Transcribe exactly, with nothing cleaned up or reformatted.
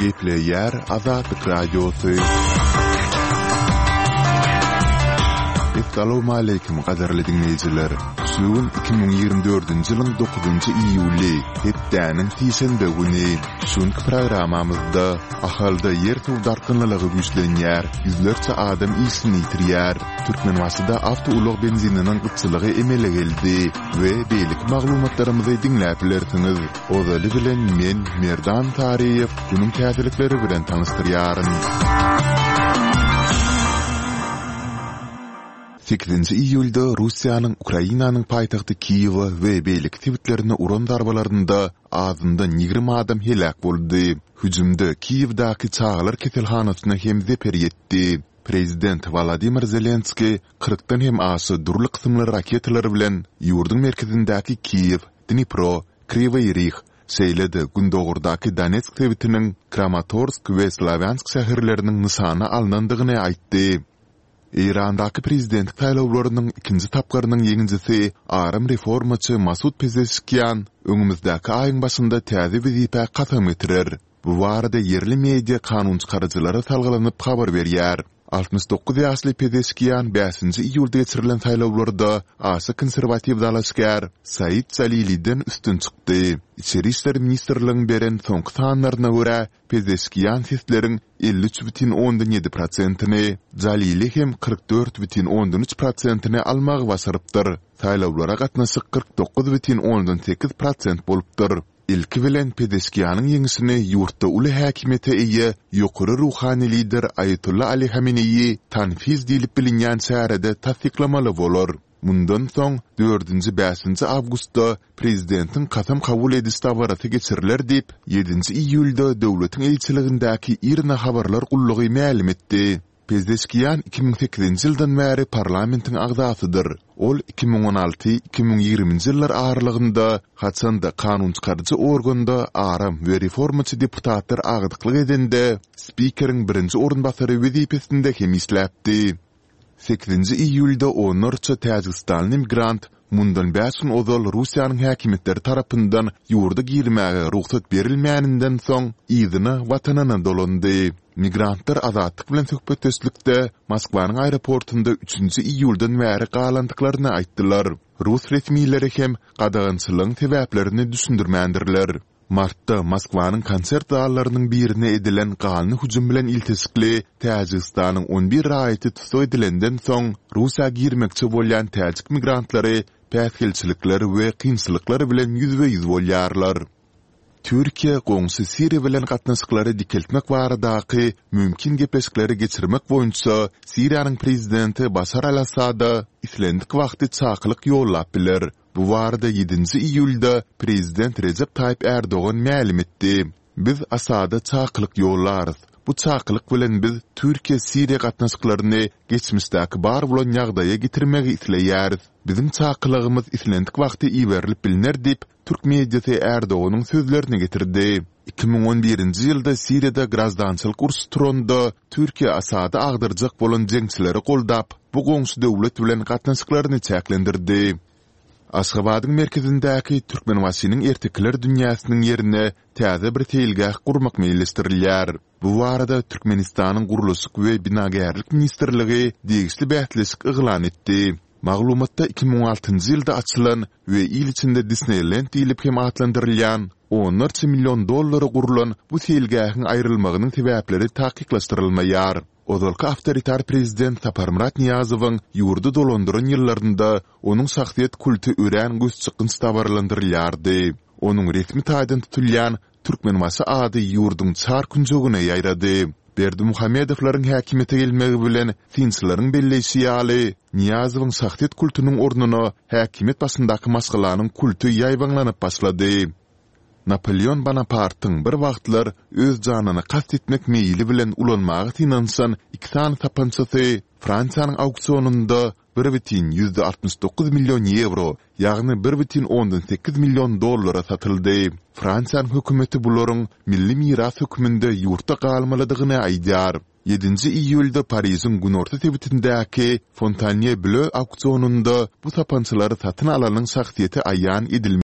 Gepleýär Azatlyk Radiosy. Essalawmaleýkim gadyrly diňleýjiler! Şu gün iki müň ýigrimi dördünji ýylyň dokuzynjy iýuly, hepdäniň sişenbe güni. Şu günki programmamyzda Ahalda ýer-suw dartgynlylygy güýçlenýär, ýüzlerçe adam işini ýitirýär, Türkmenbaşyda awtoulag benzininiň gytçylygy emele geldi we beýleki maglumatlarymyzy diňläp bilersiňiz. Ozaly bilen men, Merdan Taryýew, günüň täzelikleri bilen tanyşdyrýaryn. Sekizinji iýulda Russiýanyň Ukrainanyň paýtagty Kiýewe we beýleki sebitlerine uran zarbalarynda azyndan ýigrimi adam heläk boldy. Hüjümde Kiýewdäki çagalar keselhanasyna hem zeper ýetdi. Prezident Wolodymyr Zelenskiý kyrkdan hem aşa dürli kysymly raketalar bilen ýurduň merkezindäki Kiýew, Dnipro, Kriwoý Rih, şeýle-de gündogardaky Donetsk sebitiniň Kramatorsk we Slawýansk şäherleriniň nyşana alnandygyny aýtdy. Eýrandaky prezidentlik saýlawlarynyň ikinji tapgyrynyň ýeňijisi aram reformaçy Masud Pezeşkian öňümizdäki aýyň başynda täze wezipä kasam getirer. Bu barada ýerli media kanunçykaryjylara salgylanyp habar berýär. Altmyş dokuz ýaşly Pezeşkian bäşinji iýulda geçirilen saýlawlarda aşa konserwatiw dalaşgär Said Jaliliden üstün çykdy. Içeri işler ministrligiň beren soňky sanlaryna görä, Pezeşkian sesleriň elli üç bütin ondan ýedi prosentini, Jalili hem kyrk dört bütin ondan üç prosentini almagy başarypdyr. Saýlawlara gatnaşyk kyrk dokuz bütin ondan sekiz prosent bolupdyr. Ilki bilen Pezeşkianyň ýeňişini ýurtda uly häkimiýete eýe ýokary ruhany lider Aýatolla Ali Hameneýi Tanfiz diýlip bilinýän çärede tassyklamaly bolar. Mundan soň, dördünji-bäşinji awgustda prezidentiň kasam kabul ediş dabarasy geçiriler diýip, ýedinji iýulda döwletiň eýeçiligindäki IRNA habarlar gullugy mälim etdi. Pezeşkian iki müň sekizinji ýyldan bäri parlamentiň agzasydyr. Ol iki müň on alty, iki müň ýigriminji ýyllar aralygynda, haçan-da kanunçykaryjy organda aram we reformaçy deputatlar agdyklyk edende, spikeriň birinji orunbasary wezipesinde hem işläpdi. Sekizinji iýulda onlarça täjigistanly migrant mundan bäş gün ozal Russiýanyň häkimiýetleri tarapyndan ýurda girmäge rugsat berilmäninden soň, yzyna watanyna dolandy. Migrantlar Azatlyk bilen söhbetdeşlikde Moskwanyň aeroportunda üçünji iýuldan bäri galandyklaryny aýtdylar. Rus resmileri hem gadagançylygyň sebäplerini düşündirmändirler. Martda Moskwanyň konsert zallarynyň birine edilen ganly hüjüm bilen ilteşikli Täjigistanyň on bir raýaty tussag edilenden soň, Russiýa girmekçi bolýan täjik migrantlary päsgelçilikler we kynçylyklar bilen ýüzbe-ýüz bolýarlar. Türkiýe goňşy Siriýa bilen gatnaşyklary dikeltmek baradaky mümkin gepleşikleri geçirmek boýunça Siriýanyň prezidenti Başar al-Assada islendik wagty çakylyk ýollap biler. Bu barada ýedinji iýulda prezident Rejep Taýyp Ärdogan mälim etdi. Biz Asada çakylyk ýollarys. Bu çakylyk bilen biz Türkiýe-Siriýa gatnaşyklaryny geçmişdäki bar bolan ýagdaýa getirmegi isleýäris. Biziň çakylygymyz islendik wagty iberilip bilner diýip, türk mediasy Ärdoganyň sözlerini getirdi. Iki müň on birinji ýylda Siriýada graždançylyk urşy turanda, Türkiýe Asady agdarjak bolan jeňçileri goldap, bu goňşy döwlet bilen gatnaşyklaryny çäklendirdi. Aşgabadyň merkezindäki Türkmenbaşynyň ertekiler dünýäsiniň ýerine täze bir seýilgäh gurmak meýilleşdirilýär. Bu barada Türkmenistanyň Gurluşyk we binagärlik ministrligi degişli bäsleşik yglan etdi. Maglumatda iki müň altynjy ýylda açylan we il içinde Disneýlend diýlip hem atlandyrylýan, onlarça million dollara gurlan bu seýilgähiň aýrylmagynyň sebäpleri takyklaşdyrylmaýar. Ozalky awtoritar prezident Saparmyrat Nyýazowyň ýurdy dolandyran ýyllarynda onuň şahsyýet kulty örän gözçykgynç dabaralandyrylýardy. Onuň resmi taýdan tutulýan Türkmenbaşy ady ýurduň çar künjegine ýaýrady. Berdimuhamedowlaryň häkimiýete gelmegi bilen, synçylaryň belleýşi ýaly, Nyýazowyň şahsyýet kultunyň ornuna häkimiýet başyndaky maşgalanyň kulty ýaýbaňlanyp başlady. Napoleon Bonapartyň bir wagtlar öz janyna kast etmek meýili bilen ulanmaga synanyşan iki sany sapançasy Fransiýanyň auksionynda bir bütin ýüzde altmyş dokuz million ýewro, ýagny bir bütin ondan sekiz million dollara satyldy. Fransiýanyň hökümeti bularyň milli miras hökmünde ýurtda galmalydygyny aýdýar. Ýedinji iýulda Parižiň günorta sebitindäki Fontanýeblö auksionynda bu sapançalary satyn alanyň şahsyýeti aýan edilmedi.